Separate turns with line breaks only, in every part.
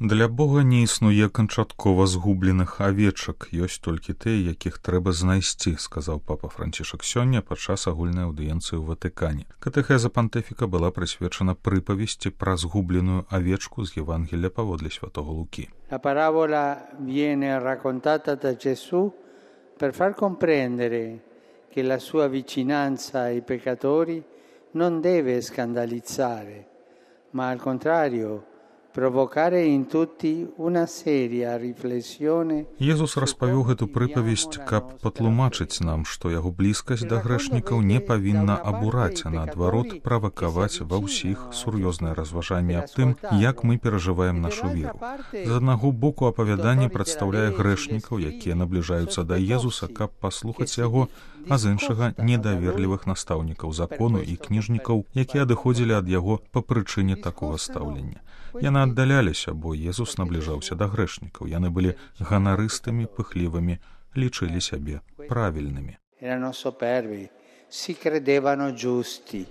Для Бога не існуе канчаткова згубленых авечак, ёсць толькі тыя, якіх трэба знайсці, сказаў папа Францішак сёння падчас агульнай аўдыенцыі ў Ватыкане. Катэхеза пантыфіка была прысвечана прыпавесці пра згубленую авечку з Євангелія паводле святого Лукі.
La parabola viene raccontata da Gesù per far comprendere che la sua vicinanza ai peccatori non deve scandalizzare, ma al contrario provocare in tutti una seria riflessione.
Езус распавёў гэту прыпавесць, каб патлумачыць нам, што яго блізкасць да грэшнікаў не павінна абураць, а наадварот правакаваць ва ўсіх сур'ёзнае разважанне аб тым, як мы перажываем нашу веру. З аднаго боку апавяданне прадстаўляе грэшнікаў, якія набліжаюцца да Езуса, каб паслухаць яго, а з іншага недаверлівых настаўнікаў закону і кніжнікаў, якія адыходзілі ад яго па прычыне такога стаўлення. Яны аддаляліся, бо Езус набліжаўся да грэшнікаў. Яны былі ганарыстымі, пыхлівымі, лічылі сябе правільнымі.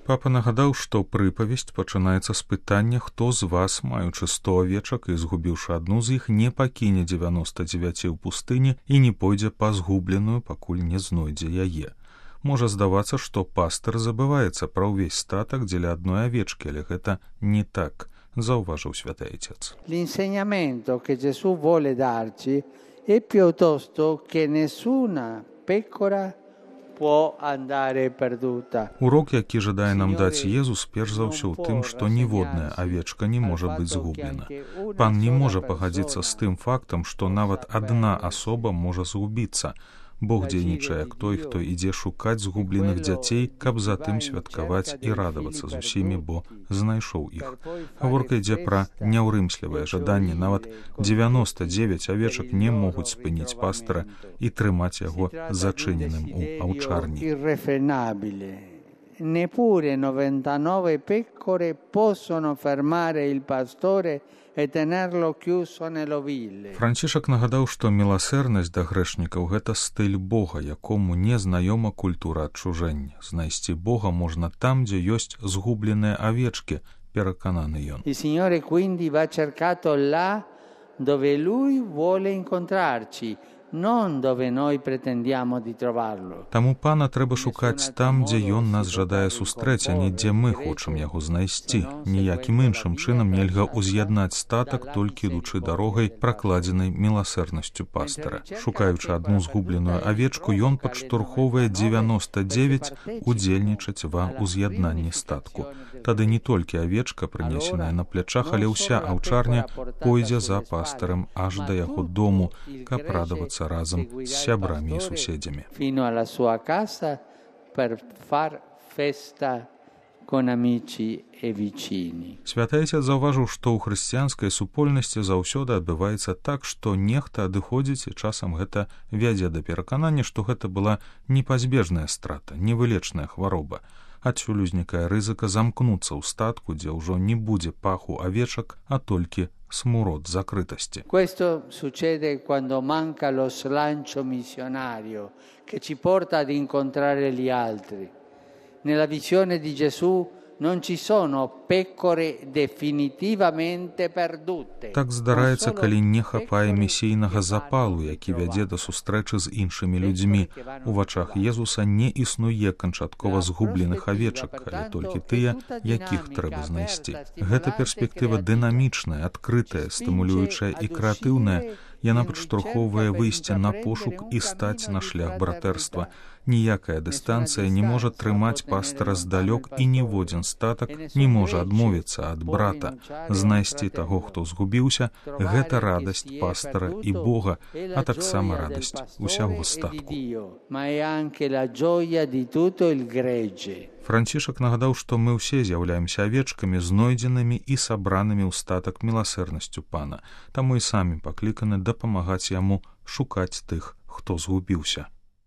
Папа нагадаў, што прыпавесць пачынаецца з пытання, хто з вас, маючы 100 авечак і згубіўшы адну з іх, не пакіне 99 ў пустыні і не пойдзе па згубленую, пакуль не знойдзе яе. Можа здавацца, што пастыр забываецца пра ўвесь статак дзеля адной авечкі, але гэта не так, зауважив Святий Отець.
L'insegnamento che Gesù vuole darci è piuttosto che nessuna pecora può andare perduta.
Урок, які жадае нам даць Езус, перш за ўсё ў тым, што ніводная авечка не можа быць згублена. Пан не можа пагадзіцца з тым фактам, што нават адна асоба можа згубіцца. Бог дзейнічае як той, хто ідзе шукаць згубленых дзяцей, каб затым святкаваць і радавацца з усімі, бо знайшоў іх. Гаворка ідзе пра няўрымслівае жаданне. Нават 99 авечак не могуць спыніць пастара і трымаць яго зачыненым у аўчарні.
Neppure 99 pecore possono fermare il pastore e tenerlo chiuso nell'ovile.
Францішак нагадаў, што міласэрнасць да грэшнікаў – гэта стыль Бога, якому не знаёма культура адчужэння. Знайсці Бога можна там, дзе ёсць згубленыя авечкі, перакананы ён.
Il Signore quindi va cercato là dove Lui vuole incontrarci, non dove noi pretendiamo di trovarlo.
Таму Пана трэба шукаць там, дзе ён нас жадае сустрэць, а не дзе мы хочам яго знайсці. Ніякім іншым чынам нельга ўз'яднаць статак, толькі ідучы дарогай, пракладзенай міласэрнасцю пастара. Шукаючы адну згубленую авечку, ён падштурхоўвае 99 удзельнічаць ва ўз'яднанні статку. Тады не толькі авечка, прынесеная на плячах, але ўся аўчарня пойдзе за пастарам аж да яго дому, каб радавацца разам з сябрамі і суседзямі.
Fino alla sua casa per far festa con amici e vicini.
Святы Отец заўважыў, што ў хрысціянскай супольнасці заўсёды адбываецца так, што нехта адыходзіць, і часам гэта вядзе да пераканання, што гэта была непазбежная страта, невылечная хвароба. Адсюль узнікае рызыка замкнуцца ў статку, дзе ўжо не будзе паху авечак, а толькі смурод закрытости.
Questo succede quando manca lo slancio missionario che ci porta ad incontrare gli altri. Nella visione di Gesù non ci sono pecore definitivamente perdute.
Так здараецца, калі не хапае місійнага запалу, які вядзе да сустрэчы з іншымі людзьмі. У вачах Езуса не існуе канчаткова згубленых авечак, але толькі тыя, якіх трэба знайсці. Гэта перспектыва дынамічная, адкрытая, стымулюючая і крэатыўная. Яна падштурхоўвае выйсце на пошук і стаць на шлях братэрства. Ніякая дыстанцыя не можа трымаць пастара здалёк, і ніводзін статак не можа адмовіцца ад брата. Знайсці таго, хто згубіўся, гэта радасць пастара і Бога, а таксама радасць усяго статку. Францішак нагадаў, што мы ўсе з'яўляемся авечкамі, знойдзенымі і сабранымі ў статак міласэрнасцю Пана. Таму і самі пакліканы дапамагаць яму шукаць тых, хто згубіўся.